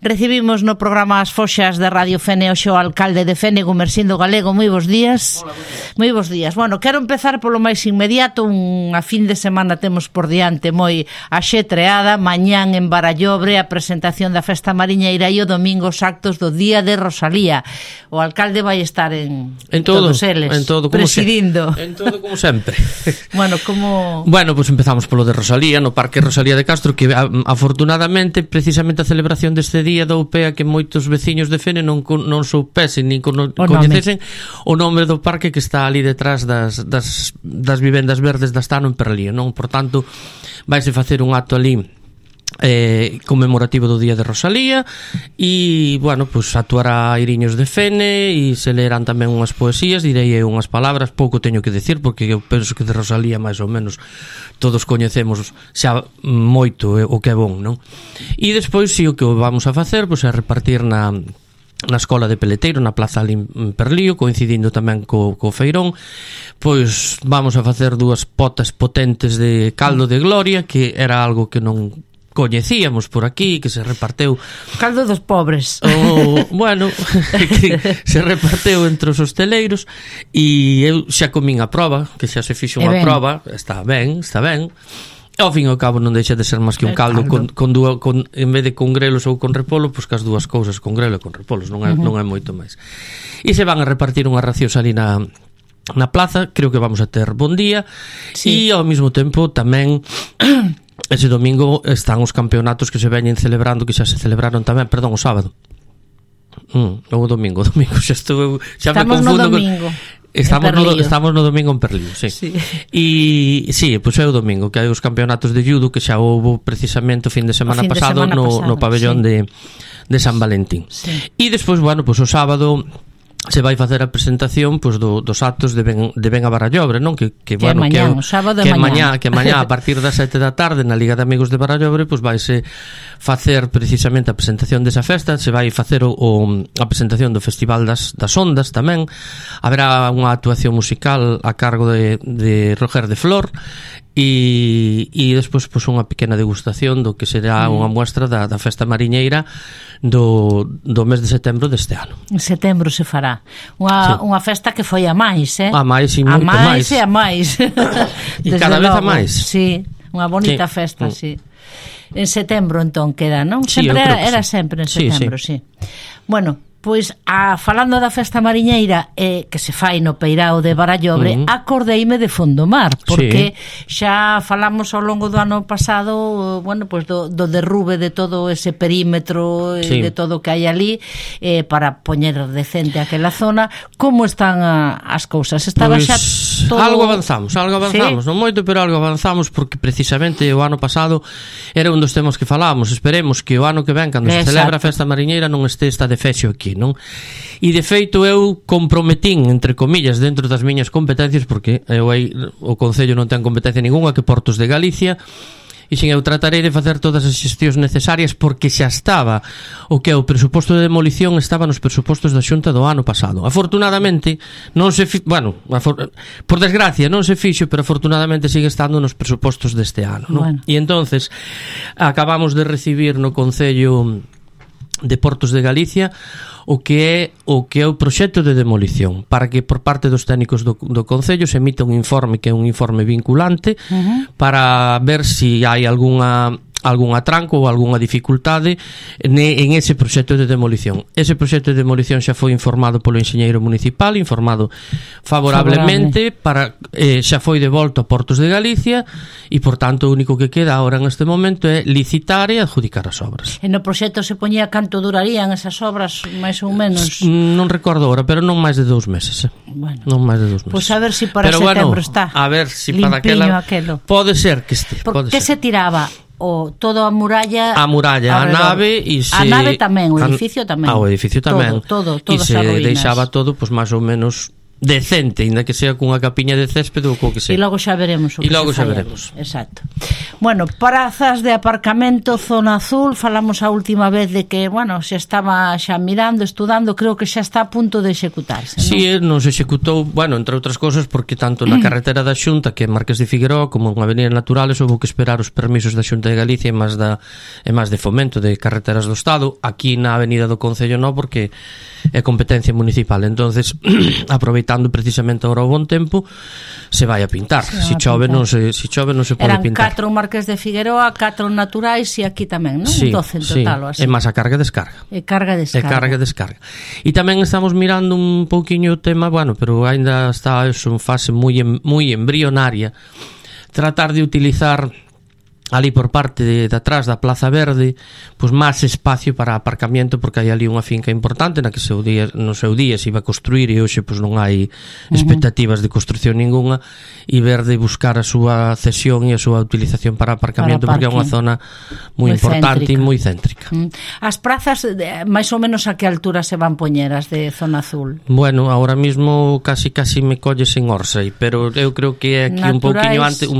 Recibimos no programa As Foxas de Radio Fene hoxe o alcalde de Fene, Gumersindo Galego. Moi bons días. Hola, moi bons días. Bueno, quero empezar polo máis inmediato. Unha fin de semana temos por diante moi axetreada. Mañán en Barallobre a presentación da Festa Mariñeira e o domingo os actos do Día de Rosalía. O alcalde vai estar en todo, todos eles, en todo, presidindo. En todo como sempre. Bueno, como... Bueno, pues empezamos polo de Rosalía, no Parque Rosalía de Castro, que afortunadamente, precisamente a celebración deste día dou pé a que moitos veciños de Fene non soupesen nin coñecesen o nome do parque que está ali detrás das vivendas verdes da Stano en Perlía, non? Por tanto, vaise facer un acto ali conmemorativo do Día de Rosalía e, bueno, pues actuará Iriños de Fene e se leerán tamén unhas poesías, direi unhas palabras, pouco teño que decir porque eu penso que de Rosalía máis ou menos todos coñecemos xa moito o que é bon, non? E despois, si o que vamos a facer, pues, é repartir na Escola de Peleteiro, na Plaza ali en Perlío, coincidindo tamén co Feirón, pois vamos a facer dúas potas potentes de caldo de gloria, que era algo que non coñecíamos por aquí, que se reparteu caldo dos pobres bueno, que se reparteu entre os hosteleiros e eu xa comín a proba, que xa se fixo unha proba, está ben ao fin e ao cabo non deixa de ser máis que un caldo con en vez de con grelos ou con repolo, pois que as dúas cousas, con grelo e con repolos, non é moito máis. E se van a repartir unhas racións ali na plaza, creo que vamos a ter bon día, e ao mesmo tempo tamén ese domingo están os campeonatos que se veñen celebrando, que xa se celebraron tamén, perdón, o sábado. O domingo xa estou, xa me confundo con... Estamos no domingo en Perlío, sí. E sí, pois é o domingo que hai os campeonatos de judo que xa houve precisamente o fin de semana pasado no pabellón de San Valentín. E despois, bueno, pois o sábado se vai facer a presentación, pois, dos actos de Ben a Barallobre, non? Que bueno, que mañá a partir das 7 da tarde na Liga de Amigos de Barallobre, pois vaise facer precisamente a presentación desa festa, se vai facer a presentación do Festival das Ondas tamén. Haberá unha actuación musical a cargo de Roger de Flor e despois pois unha pequena degustación do que será unha muestra da Festa Mariñeira do mes de setembro deste ano. En setembro se fará unha festa que foi a máis, a máis e moito máis. A máis e cada vez a máis. Sí, unha bonita festa, sí. En setembro entón queda, non? Sí, sempre era sempre en setembro, sí. Bueno, pois falando da Festa Mariñeira que se fai no Peirao de Barallobre, acordeime de Fondomar, porque xa falamos ao longo do ano pasado, bueno, pois do derrube de todo ese perímetro de todo o que hai ali para poñer decente aquela zona. Como están as cousas? Estaba xa todo... Algo avanzamos, non moito, pero algo avanzamos, porque precisamente o ano pasado era un dos temas que falábamos. Esperemos que o ano que ven, cando se celebra a Festa Mariñeira, non esta de fexo aquí, non? E de feito eu comprometín, entre comillas, dentro das miñas competencias, porque o Concello non ten competencia ninguna que Portos de Galicia, e xin eu tratarei de facer todas as xestións necesarias, porque xa estaba o que é o presuposto de demolición, estaba nos presupostos da Xunta do ano pasado. Afortunadamente non se por desgracia non se fixo, pero afortunadamente sigue estando nos presupostos deste ano, non? E entonces acabamos de recibir no Concello de Portos de Galicia o que é o proxecto de demolición, para que por parte dos técnicos do Concello se emita un informe que é un informe vinculante para ver se hai algún atranco ou algunha dificultade en ese proxecto de demolición. Ese proxecto de demolición xa foi informado polo enxeñeiro municipal, informado favorablemente, xa foi devolto a Portos de Galicia e, por tanto, o único que queda agora neste momento é licitar e adjudicar as obras. E no proxecto se poñía canto durarían esas obras, máis ou menos? Non recordo agora, pero non máis de 2 meses. Bueno, non máis de 2 meses. Pois a ver se para setembro está. A ver se para aquela... Pode ser que este. Por que se tiraba todo a muralla, a nave e a nave tamén, o edificio tamén. O edificio tamén. Todo e se ruínas. deixaba todo, pois máis ou menos decente, ainda que sea cunha capiña de céspede ou co que sea. E logo xa veremos o que xa veremos. Exacto. Bueno, prazas de aparcamento Zona Azul, falamos a última vez de que, bueno, xa estaba xa mirando, estudando, creo que xa está a punto de executarse, non? Si, non se executou, bueno, entre outras cousas, porque tanto na carretera da Xunta, que é Marqués de Figueroa, como en Avenida Naturales, houve que esperar os permisos da Xunta de Galicia e máis de Fomento de Carreteras do Estado. Aquí na Avenida do Concello non, porque é competencia municipal. Entonces, aproveitando precisamente agora o bon tempo, se vai a pintar. Se chove non se pode pintar. Eran 4 Marqués de Figueroa, 4 naturais e aquí tamén, non? Sí, 12 en total, sí. E máis a carga e descarga. E carga-descarga. E tamén estamos mirando un pouquiño o tema, bueno, pero ainda está en fase moi embrionaria, tratar de utilizar ali por parte de atrás da Plaza Verde, pois máis espacio para aparcamiento, porque hai ali unha finca importante na que no seu día se iba a construir e hoxe pois non hai expectativas de construcción ninguna, e ver de buscar a súa cesión e a súa utilización para aparcamiento, porque é unha zona moi importante e moi céntrica. As prazas, máis ou menos a que altura se van poñer as de Zona Azul? Bueno, ahora mismo casi me colles en Orsay, pero eu creo que é aquí un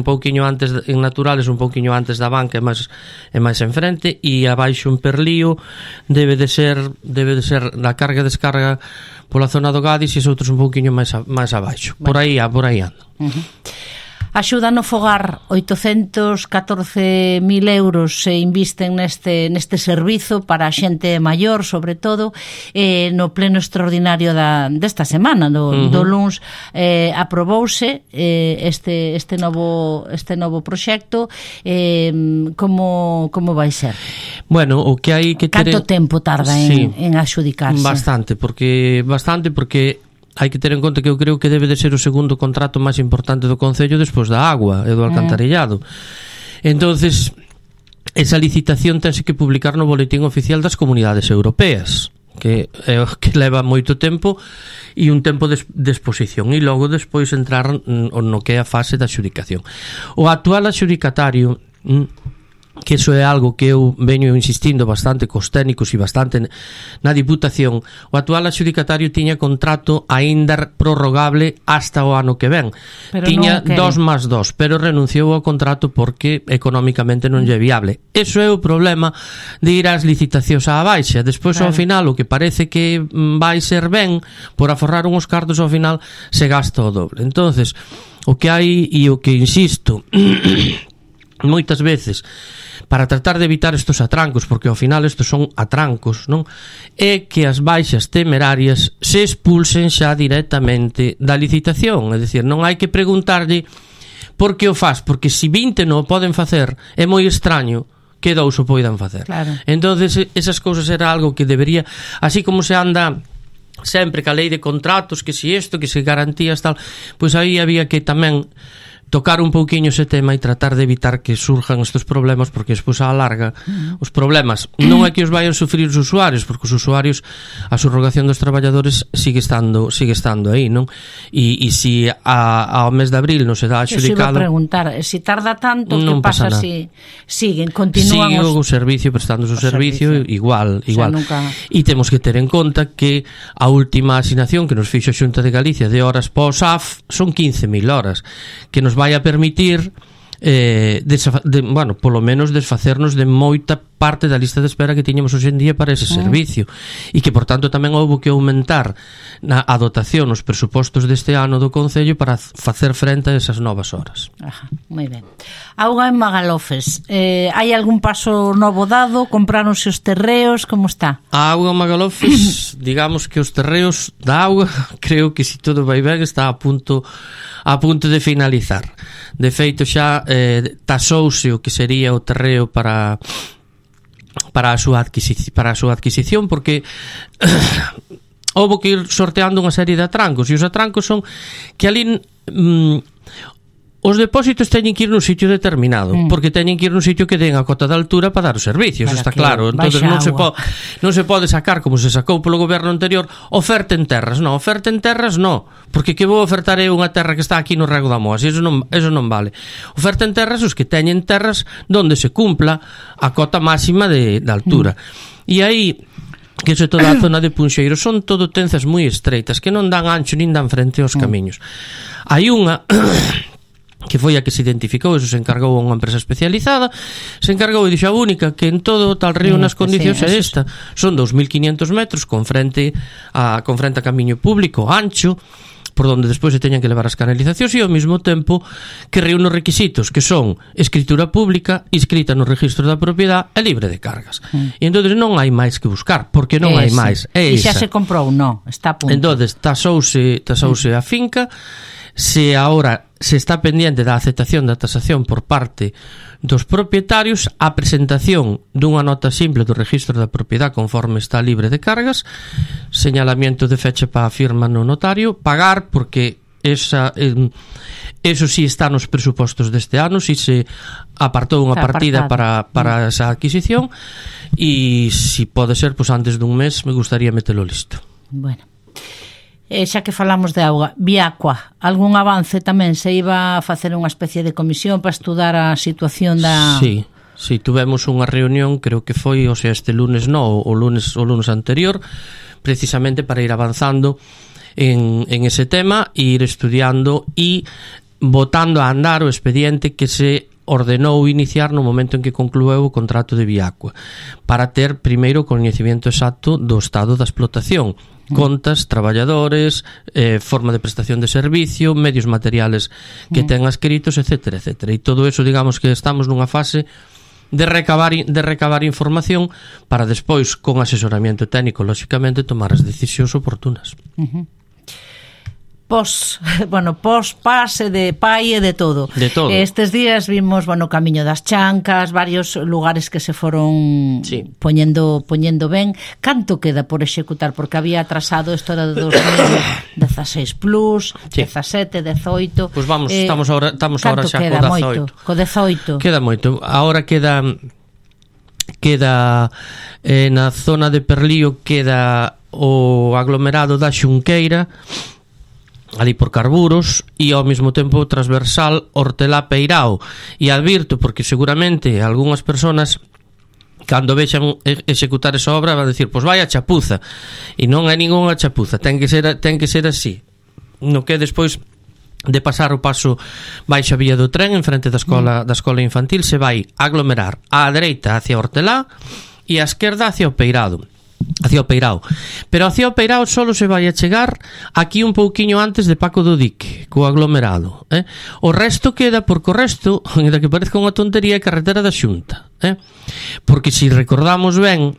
pouquiño antes en Naturales, un pouquiño antes da banca e máis enfrente, e abaixo en Perlío debe de ser na carga e descarga pola zona do Gadis, e os outros un pouquiño máis abaixo. Por aí anda. Axuda no Fogar, 814.000 euros se invisten neste servizo para a xente maior, sobre todo, no pleno extraordinario desta semana, do luns, aprobouse este novo proxecto. Como vai ser? Bueno, o que hai que ter... Canto tempo tarda en axudicarse? Bastante, porque hai que ter en conta que eu creo que debe de ser o segundo contrato máis importante do Concello despois da agua e do alcantarillado. Entonces, esa licitación tense que publicar no Boletín Oficial das Comunidades Europeas, que é o que leva moito tempo e un tempo de exposición, e logo despois entrar no que é a fase da adxudicación. O actual adxudicatario, que iso é algo que eu veño insistindo bastante cos técnicos e bastante na Diputación, o actual adxudicatario tiña contrato aínda prorrogable hasta o ano que ven. Pero tiña 2+2, pero renunciou ao contrato porque económicamente non lle é viable. Eso é o problema de ir ás licitacións á baixa. Despois, ao final, o que parece que vai ser ben por aforrar uns cartos, ao final se gasta o doble. Entonces, o que hai e o que insisto moitas veces para tratar de evitar estos atrancos, porque ao final estos son atrancos, non? É que as baixas temerarias se expulsen xa directamente da licitación, é dicir, non hai que preguntarlle por que o faz, porque se 20 non o poden facer, é moi extraño que 2 o poidan facer. Claro. Entonces, esas cousas era algo que debería, así como se anda sempre ca lei de contratos, que si isto, que se garantías tal, pois aí había que tamén tocar un pouquiño ese tema e tratar de evitar que surjan estes problemas, porque despois a larga os problemas non é que os vayan sufrir os usuarios, porque os usuarios, a subrogación dos traballadores sigue estando aí, non? E se ao mes de abril non se dá adxudicado... Eu iba a preguntar, se tarda tanto, que pasa se siguen, continúan o servicio, prestando o servicio igual. Nunca... E temos que ter en conta que a última asignación que nos fixo a Xunta de Galicia de horas pós AF son 15.000 horas, que nos vai a permitir polo menos desfacernos de moita parte da lista de espera que tiñamos hoxe en día para ese servicio, e que por tanto tamén houve que aumentar a dotación nos presupostos deste ano do Concello para facer frente a esas novas horas. Moi ben. Auga en Magalofes, hai algún paso novo dado? Compráronse os terreos? Como está? A auga en Magalofes, digamos que os terreos da auga, creo que se todo vai ben está a punto de finalizar. De feito xa tasouse o que sería o terreo para a súa adquisición, porque houve que ir sorteando unha serie de atrancos, e os atrancos son que ali os depósitos teñen que ir nun sitio determinado, porque teñen que ir nun sitio que den a cota de altura para dar os servicios, está claro. Entonces non se pode sacar, como se sacou polo goberno anterior, oferta en terras, porque que vou ofertar eu unha terra que está aquí no Rego da Moa? Eso non vale. Oferta en terras os que teñen terras donde se cumpla a cota máxima de altura. E aí que é toda a zona de Punxeiro, son todo tenzas moi estreitas que non dan ancho nin dan frente aos camiños. Hai unha que foi a que se identificou, eso se encargou a unha empresa especializada, se encargou e dixo a única que en todo o tal río nas condicións é esta, son 2.500 metros con frente a camiño público ancho, por donde despois se teñan que levar as canalizacións e ao mesmo tempo que reúne os requisitos que son escritura pública, inscrita no registro da propiedade e libre de cargas. E entonces non hai máis que buscar, porque non hai máis. E xa se comprou, non, está a punto. Entonces tasouse a finca, se agora se está pendiente da aceptación da tasación por parte dos propietarios, a presentación dunha nota simple do registro da propiedade conforme está libre de cargas, señalamiento de fecha para a firma no notario, pagar porque eso sí está nos presupostos deste ano, si se apartou unha partida para esa adquisición, e si pode ser, pues antes dun mes me gustaría metelo listo. Bueno, xa que falamos de auga, Viacua, algún avance tamén? Se iba a facer unha especie de comisión para estudar a situación da... Sí, tuvemos unha reunión, creo que foi, o sea, este lunes o lunes anterior, precisamente para ir avanzando en ese tema, ir estudiando e botando a andar o expediente que se ordenou iniciar no momento en que conclueu o contrato de Viacua, para ter primeiro o coñecemento exacto do estado da explotación, contas, traballadores, forma de prestación de servicio, medios materiales que ten adscritos, etcétera, etcétera. E todo eso, digamos que estamos nunha fase de recabar información para despois, con asesoramiento técnico, lóxicamente, tomar as decisións oportunas. Pos pase de pai e de todo. Estes días vimos, Camiño das Chancas, varios lugares que se foron poñendo ben. Canto queda por executar? Porque había atrasado isto era de 2016 plus, 17, 18. Pois vamos, estamos ahora xa co 18. Queda moito. Ahora queda na zona de Perlío, queda o aglomerado da Xunqueira, ali por Carburos, e ao mesmo tempo transversal Hortelá Peirao. E advirto, porque seguramente algunhas persoas cando vexan executar esa obra van a decir, pois vai a chapuza, e non hai ningunha chapuza, ten que ser así. No que despois de pasar o paso baixa vía do tren en frente da escola infantil, se vai aglomerar á dereita hacia Hortelá e á esquerda hacia o Peirado. Pero hacia o Peirao solo se vai a chegar aquí un pouquiño antes de Paco do Dique, co aglomerado, O resto queda, porque o resto, ainda que parezca unha tontería, é carretera da Xunta, porque se recordamos ben,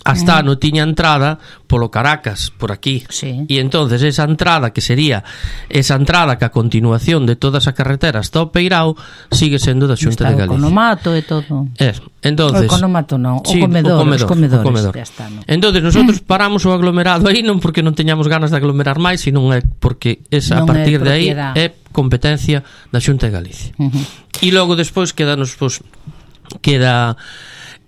hasta ano tiña entrada polo Caracas, por aquí, e entonces esa entrada que a continuación de toda esa carretera hasta o Peirao sigue sendo da Xunta de Galicia. O Economato e todo. Entonces, o Economato non, o comedor. Entonces nosotros paramos o aglomerado aí non porque non teñamos ganas de aglomerar máis, sino é porque esa, a partir de aí é competencia da Xunta de Galicia. E logo despois queda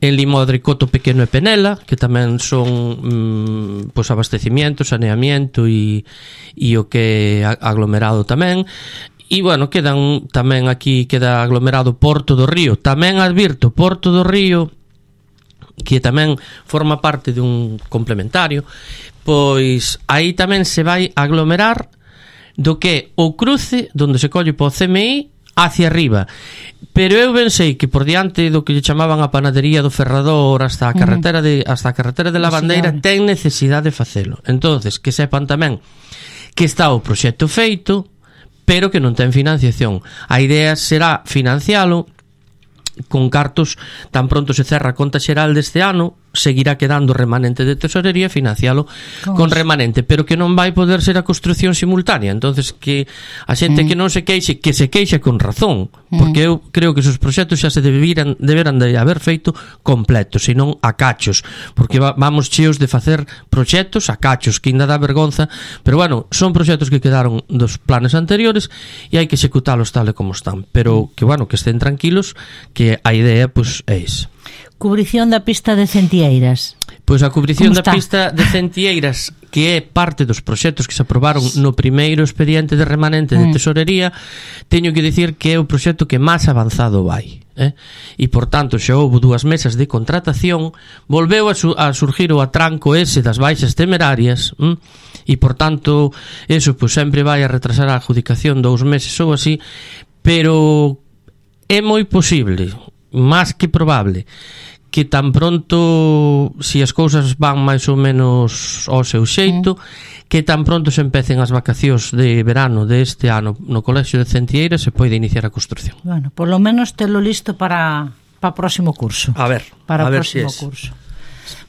en Limodre, Coto Pequeno e Penela, que tamén son abastecimiento, saneamiento e o que é aglomerado tamén. E, quedan tamén aquí, queda aglomerado Porto do Río. Tamén advirto, Porto do Río, que tamén forma parte dun complementario, pois aí tamén se vai aglomerar do que o cruce, donde se colle po CMI, hacia arriba. Pero eu pensei que por diante do que lle chamaban a panadería do Ferrador hasta a carretera de Lavandeira ten necesidade de facelo. Entonces, que sepan tamén que está o proxecto feito, pero que non ten financiación. A idea será financialo con cartos, tan pronto se cerra a conta xeral deste ano, seguirá quedando remanente de tesorería, financialo con remanente, pero que non vai poder ser a construción simultánea. Entonces que a xente que non se queixe, que se queixe con razón, porque eu creo que esos proxectos xa se deberan de haber feito completos, e non a cachos, porque vamos cheos de facer proxectos a cachos, que ainda dá vergonza, pero son proxectos que quedaron dos planes anteriores e hai que executalos tal e como están, pero que que estén tranquilos, que a idea é esa. Cubrición da pista de Centieiras. Pois a cubrición da pista de Centieiras, que é parte dos proxectos que se aprobaron no primeiro expediente de remanente de tesorería, teño que dicir que é o proxecto que máis avanzado vai. E por tanto xa houve 2 mesas de contratación, volveu a surgir o atranco ese das baixas temerarias, e por tanto eso pues sempre vai a retrasar a adjudicación 2 meses ou así, pero é moi posible, máis que probable, que tan pronto, si as cousas van máis ou menos ao seu xeito, que tan pronto se empecen as vacacións de verano deste ano no Colexio de Centieira, se pode iniciar a construción. Bueno, por lo menos telo listo para o próximo curso. A ver próximo curso.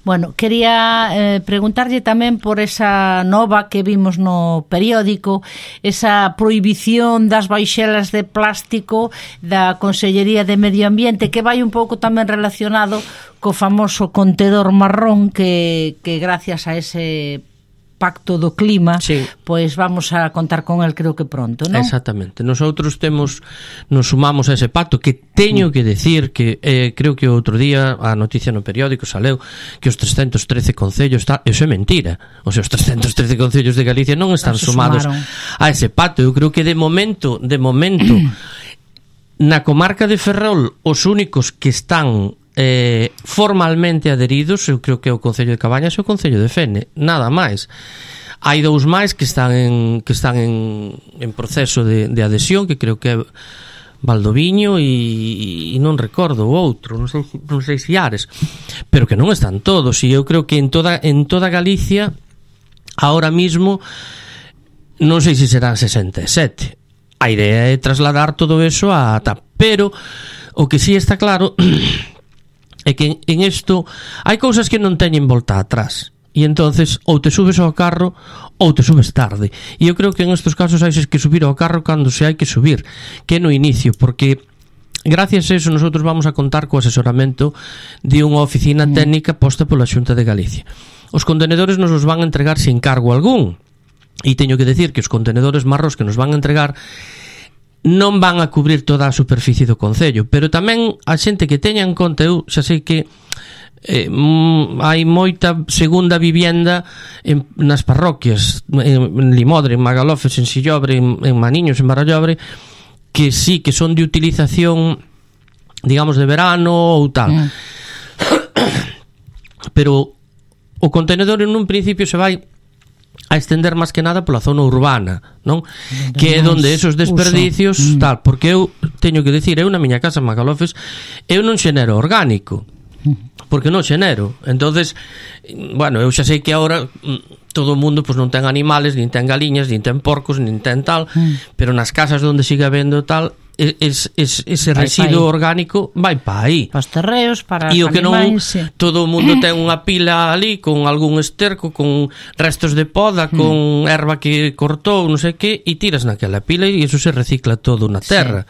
Bueno, quería preguntarlle tamén por esa nova que vimos no periódico, esa prohibición das baixelas de plástico da Consellería de Medio Ambiente, que vai un pouco tamén relacionado co famoso contedor marrón que gracias a ese pacto do clima, pois vamos a contar con el creo que pronto, non? Exactamente. Nosotros nos sumamos a ese pacto, que teño que decir que creo que outro día a noticia no periódico saleu que os 313 concellos eso é mentira. O sea, os 313 concellos de Galicia non están sumados a ese pacto. Eu creo que de momento na comarca de Ferrol os únicos que están formalmente adheridos, eu creo que é o Concello de Cabañas e o Concello de Fene, nada máis. Hai 2 máis que están en proceso de adhesión, que creo que é Valdoviño e non recordo o outro, non sei se Ares, pero que non están todos, e eu creo que en toda Galicia ahora mismo non sei se serán 67. A idea é trasladar todo eso a TAP, pero o que sí está claro é que en isto hai cousas que non teñen volta atrás, e entonces ou te subes ao carro ou te subes tarde, e eu creo que en estos casos hai que subir ao carro cando se hai que subir, que no inicio, porque gracias a eso nosotros vamos a contar co asesoramento de unha oficina técnica posta pola Xunta de Galicia. Os contenedores nos os van a entregar sin cargo algún, e teño que decir que os contenedores marrós que nos van a entregar non van a cubrir toda a superficie do concello, pero tamén a xente que teña en conta, eu xa sei que hai moita segunda vivienda nas parroquias, en Limodre, en Magalofes, en Sillobre, en Maniños, en Barallobre, que sí que son de utilización, digamos, de verano ou tal. Pero o contenedor en un principio se vai a estender máis que nada pola zona urbana, non? Que é onde esos desperdicios tal, porque eu teño que decir, eu na miña casa en Magalofes eu non xenero orgánico, porque non xenero. Entonces, bueno, eu xa sei que agora todo o mundo pois non ten animales, nin ten galiñas, nin ten porcos, nin ten tal, pero nas casas onde siga habendo tal, ese residuo orgánico vai para aí, para os terreos, para os animais. E o que non, todo o mundo ten unha pila ali con algún esterco, con restos de poda, con erva que cortou, non sei que, e tiras naquela pila e iso se recicla todo na terra.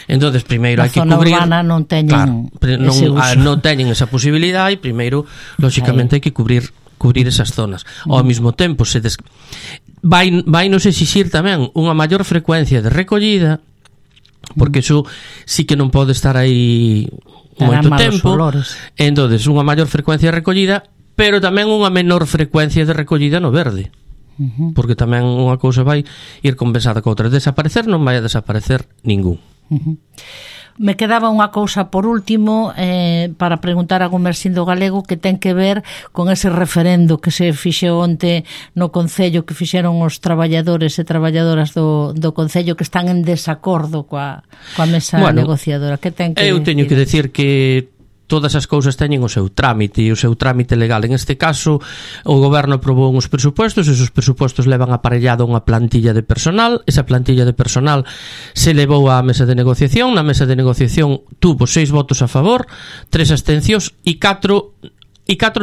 Entonces primeiro hai que cubrir, na zona urbana non teñen non teñen esa posibilidade, e primeiro lógicamente hai que cubrir esas zonas. Ao mesmo tempo vai nos exixir tamén unha maior frecuencia de recollida, porque iso sí que non pode estar aí moito tempo. Entonces unha maior frecuencia de recollida, pero tamén unha menor frecuencia de recollida no verde, porque tamén unha cousa vai ir compensada co outra. Desaparecer non vai a desaparecer ningún. Me quedaba unha cousa por último para preguntar a Gumersindo Galego, que ten que ver con ese referendo que se fixeu onte no Concello, que fixeron os traballadores e traballadoras do Concello que están en desacordo coa mesa negociadora. Que ten que eu teño que decir que todas as cousas teñen o seu trámite, e o seu trámite legal. En este caso, o goberno aprobou uns presupostos, e esos presupostos levan aparellado unha plantilla de personal. Esa plantilla de personal se levou á mesa de negociación. Na mesa de negociación tuvo 6 votos a favor, 3 abstencións e 4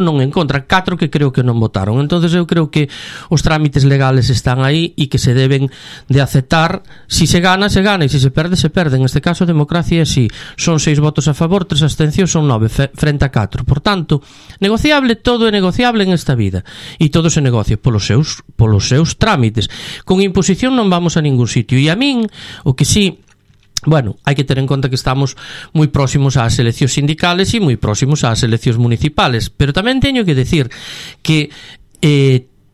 non en contra, 4 que creo que non votaron. Entonces eu creo que os trámites legales están aí e que se deben de aceptar. Si se gana, se gana, e se se perde, se perde. En este caso, a democracia é así. Son 6 votos a favor, 3 abstencións, son 9 frente a 4. Por tanto, negociable, todo é negociable en esta vida, e todo se negocia polos seus trámites. Con imposición non vamos a ningún sitio. E a min, o que sí, bueno, hai que ter en conta que estamos moi próximos ás eleccións sindicales e moi próximos ás eleccións municipales, pero tamén teño que decir que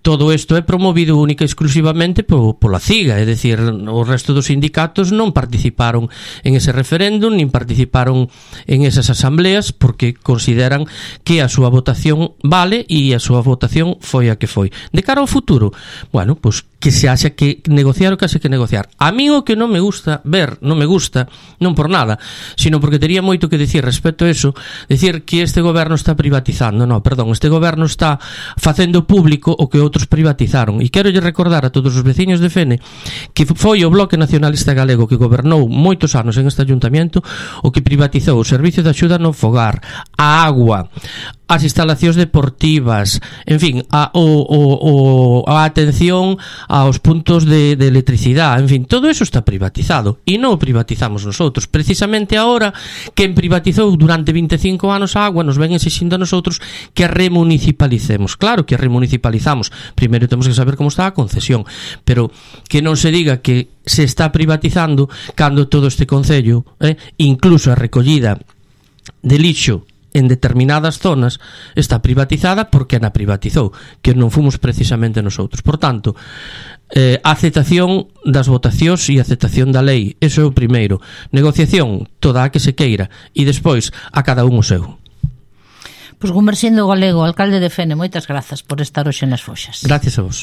todo isto é promovido única e exclusivamente pola CIGA, é dicir, o resto dos sindicatos non participaron en ese referéndum, nin participaron en esas asambleas, porque consideran que a súa votación vale e a súa votación foi a que foi. De cara ao futuro, bueno, pois que se haxa que negociar o que haxa que negociar. A mí o que non me gusta ver, non me gusta, non por nada, sino porque tería moito que dicir respecto a eso, decir que este goberno está privatizando. Non, perdón, este goberno está facendo público o que outros privatizaron. E quero lle recordar a todos os veciños de Fene que foi o Bloque Nacionalista Galego que gobernou moitos anos en este ayuntamiento o que privatizou o servicio de axuda no fogar, a agua, as instalacións deportivas, en fin, a atención aos puntos de electricidade, en fin, todo eso está privatizado e non o privatizamos nosotros. Precisamente agora, quen privatizou durante 25 anos a agua nos ven exixindo a nosotros que a remunicipalicemos. Claro que a remunicipalizamos, primeiro temos que saber como está a concesión, pero que non se diga que se está privatizando cando todo este concello, incluso a recollida de lixo en determinadas zonas está privatizada porque na privatizou, que non fomos precisamente nosotros. Por tanto, a aceptación das votacións e a aceptación da lei, eso é o primeiro. Negociación, toda a que se queira, e despois a cada un o seu. Pois Gumersindo Galego, alcalde de Fene, moitas grazas por estar hoxe nas Foxas. Gracias a vos.